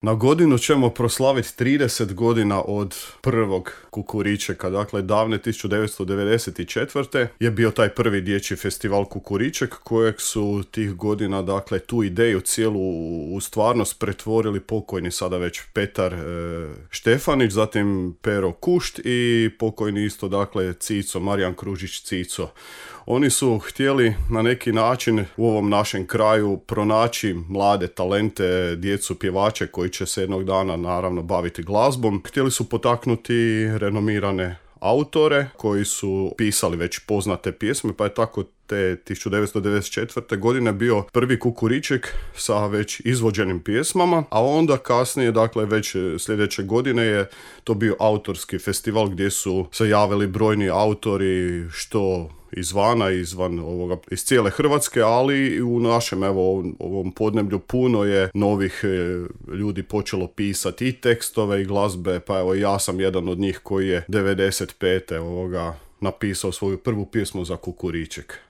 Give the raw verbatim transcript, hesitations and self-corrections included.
Na godinu ćemo proslaviti trideset godina od prvog Kukuričeka, dakle davne tisuću devetsto devedeset četvrte je bio taj prvi dječji festival Kukuriček kojeg su tih godina, dakle, tu ideju cijelu u stvarnost pretvorili pokojni sada već Petar e, Štefanić, zatim Pero Kušt i pokojni isto, dakle, Cico, Marijan Kružić Cico. Oni su htjeli na neki način u ovom našem kraju pronaći mlade talente, djecu pjevače koji će se jednog dana naravno baviti glazbom. Htjeli su potaknuti renomirane autore koji su pisali već poznate pjesme, pa je tako te tisuću devetsto devedeset četvrte godine bio prvi Kukuriček sa već izvođenim pjesmama, a onda kasnije, dakle već sljedeće godine je to bio autorski festival gdje su se javili brojni autori, što izvana, izvan ovoga, iz cijele Hrvatske, ali i u našem evo ovom, ovom podneblju puno je novih e, ljudi počelo pisati i tekstove i glazbe, pa evo ja sam jedan od njih koji je devedeset pete ovoga napisao svoju prvu pjesmu za Kukuriček.